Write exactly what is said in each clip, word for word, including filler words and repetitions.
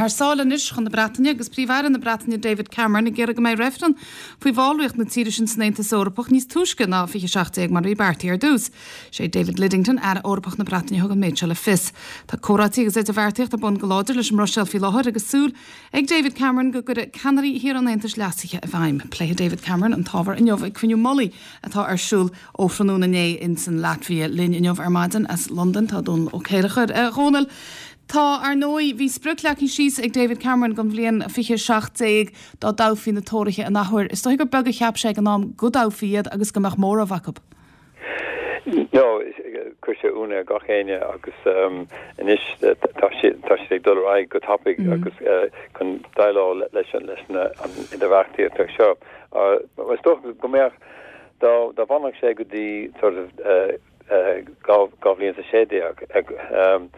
Thar sáile anois chun na Breataine agus Príomh-Aire na Breataine David Cameron ag iarraidh go mbeidh reifreann faoi bhallraíocht na tíre sin san Aontas Eorpach níos túisce ná fiche seacht déag mar a bhí beartaithe ar dtús. Sé David Lidington Aire Eorpach na Breataine thug an méid seo le fios. Tá comhráití agus idirbheartaíocht ar bun go láidir leis an mBruiséil faoi láthair agus súil ag David Cameron go gcuirfidh ceannairí thíortha an Aontais leasuithe i bhfeidhm. Pléifidh David Cameron an t-ábhar inniu ag cruinniú mullaigh atá ar siúl ó thráthnóna inné in san Laitvia linn inniu ar maidin as Londain tá Dónal Ó Céilleachair. Dhónaill, Tá ar ndóigh bhí sprioc leagtha síos ag David Cameron don bhliain fiche seacht déag dá dtoghfaí na Tóraithe an athuair. Is dóigh gur beag a cheap sé ag an am go dtoghfaí iad agus go mbeadh móramh acu. No, chuir sé ionadh ar gach éinne agus um, anois tá sé ag dul ar aghaidh go tapaidh mm. agus uh, chun déileáil leis leis na an idirbheartaíocht seo. Uh, is dócha go mbeadh dá dá bhfanfadh sé go dtí sort of uh, uh, dhá bhliain is sé déag um,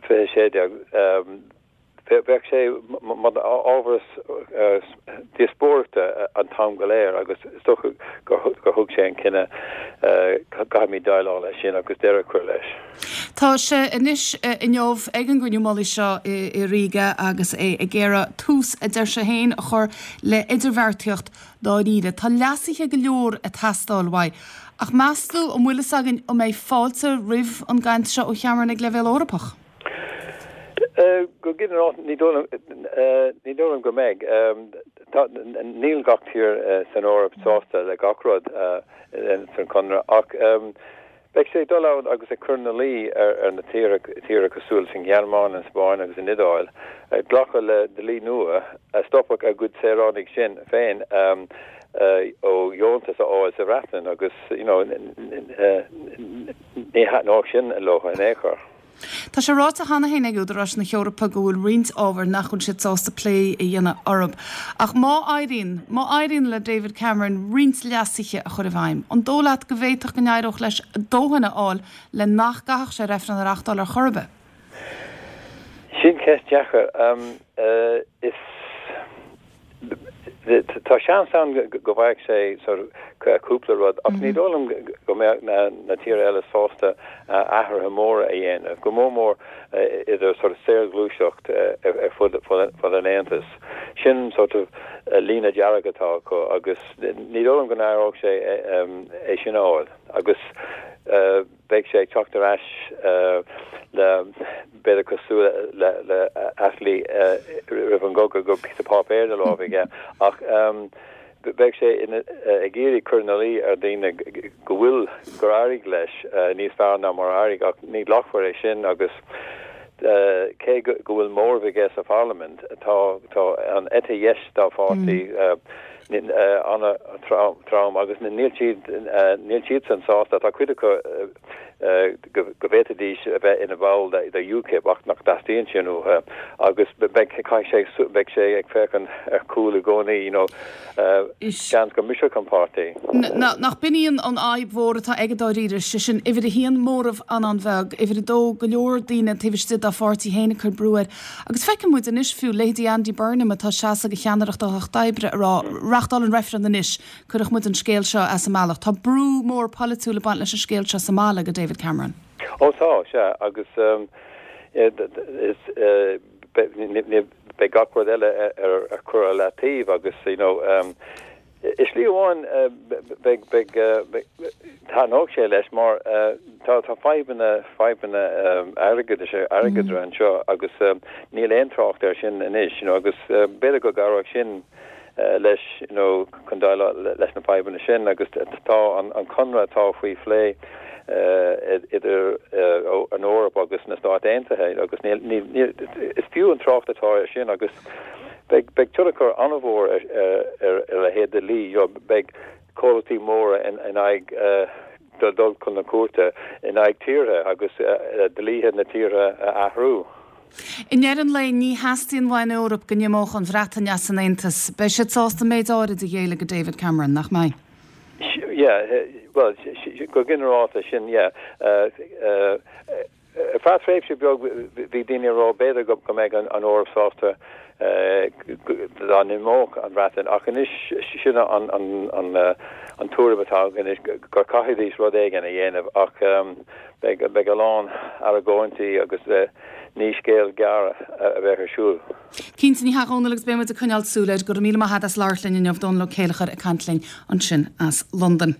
fiche sé déag bheadh sé mar ábhar díospóireachta an t-am go léir agus is dócha gur thug sé an cinneadh caithfimid déileáil leis sin agus deireadh a chur leis. Tá sé anois inniu ag an gcruinniú mullaigh seo i Riga agus é ag iarraidh tús a deir sé féin a chur le idirbheartaíocht dáiríre. Tá leasuithe go leor ag teastáil uaidh. Ach meas tú an bhfuil fhios againn an mbeidh fáilte roimh an gcaint seo ó Chameron ag leibhéal Eorpach. Go ginearálta ní dóigh go mbeidh níl gach tír san Eoraip sásta le gach rud san conradh ach beidh sé dul ann agus ag cur ina luí ar ar na tíortha cosúil leis an Ghearmáin an Spáinn agus an Iodáil glacadh le dlí nua a stopfadh a gcuid saoránaigh sin féin ó dheontas a fháil sa Bhreatain agus you know ní thaitneodh sin leo in aon chor. Tá sé ráite cheana féin ag údaráis na hEorpa go bhfuil roinnt ábhar nach bhfuil siad sásta plé a dhéanamh orthu. Ach má éiríonn, má éiríonn le David Cameron roinnt leasuithe a chur i bhfeidhm, an dóigh leat go bhféadfadh go n-éireodh leis dóthain a fháil le nach gcaithfeadh sé reifreann a reáchtáil ar chor ar bith. Sin ceist deacair um, uh, is tá seans ann go bhfaigheadh sé cúpla rud ach ní dóigh liom go mbeadh na, na tíortha eile sásta athruithe móra a dhéanamh, go mór mór idir sort of saorghluaiseacht ar fud fud an Aontais. Sin sort of líne dearg atá acu agus ní dóigh liom go n-éireodh sé é sin a fháil agus beidh sé ag teacht ar ais le b'fhéidir cosúil le le Attlee roimh an gcogadh go píosa páipéir ina lámh aige ach beidh sé ag iarraidh cur ina luí ar daoine go bhfuil gur éirigh leis níos fearr ná mar éirigh ach ní ghlacfar é sin agus cé go bhfuil móramh aige sa pharlaimint tá tá an eite dheis dá pháirtí an-trom agus níl siad níl siad san sásta tá cuid acu go bhféadfaidís a bheith ina bhall de UKIP ach nach dteastaíonn sin uathu agus beidh sé beidh sé ag féachaint ar chúl i gcónaí you know seans go mbrisfeadh an páirtí. Nach b'in í an fhadhb mhór atá aige dáiríre sé sin uimhir a haon móramh an-an-bheag, uimhir a dó go leor daoine taobh istigh dá pháirtí féin ag cur brú air. Agus feiceann muid anois fiú leithéidí Andy Burnham atá ag seasamh do cheannaireacht an Lucht Oibre ag rá reáchtáil an reifreann anois, cuirfidh muid an scéal seo as an mbealach. Tá brú mór polaitiúil ag baint leis an scéal seo sa mbaile go David Cameron. Ó tá sé agus um, is beidh gach rud eile ar ar cur le taobh agus you know um, Is slí amháin beidh beidh taitneoidh sé leis mar tá tá fadhbanna fadhbanna airgeadais airgeadra anseo agus níl aon trácht air sin anois you know, agus b'fhéidir go gcabhródh sin leis you know, chun déileáil leis na fadhbanna sin agus tá an, an conradh atá faoi phlé uh, idir uh, an Eoraip agus na Stáit Aontaithe agus níl, níl, níl, is fiú an trácht atá ar sin agus beidh beidh tionchar an-mhór ar ar ar a leithéid de dhlí beidh comhlachtaí móra in in aghaidh uh, dul chun na cúirte in aghaidh tíortha agus uh, dlíthe na tíortha a athrú. I ndeireadh an lae ní theastaíonn ón Eoraip go n-imeodh an Bhreatain as an Aontas, beidh siad sásta méid áirid a ghéilleadh go David Cameron nach mbeidh. Yeah, well go ginearálta sin yeah. Uh, uh, Feadh tréimhse beag bhí daoine ag rá b'fhéidir go go mbeidh an an Eoraip sásta dá n-imeodh an Bhreatain ach anois sin an an an an tuairim atá anois gur caithfidís rud éigin a dhéanamh ach um, beidh beidh a lán argóintí agus uh, ní scéal gearr a bheith ar siúl. Cinnte ní hea agus beimid ag coinneáil súil air go raibh míle maith agat as labhairt linn inniu Dónal Ó Céilleachair ag caint linn ansin as Londain.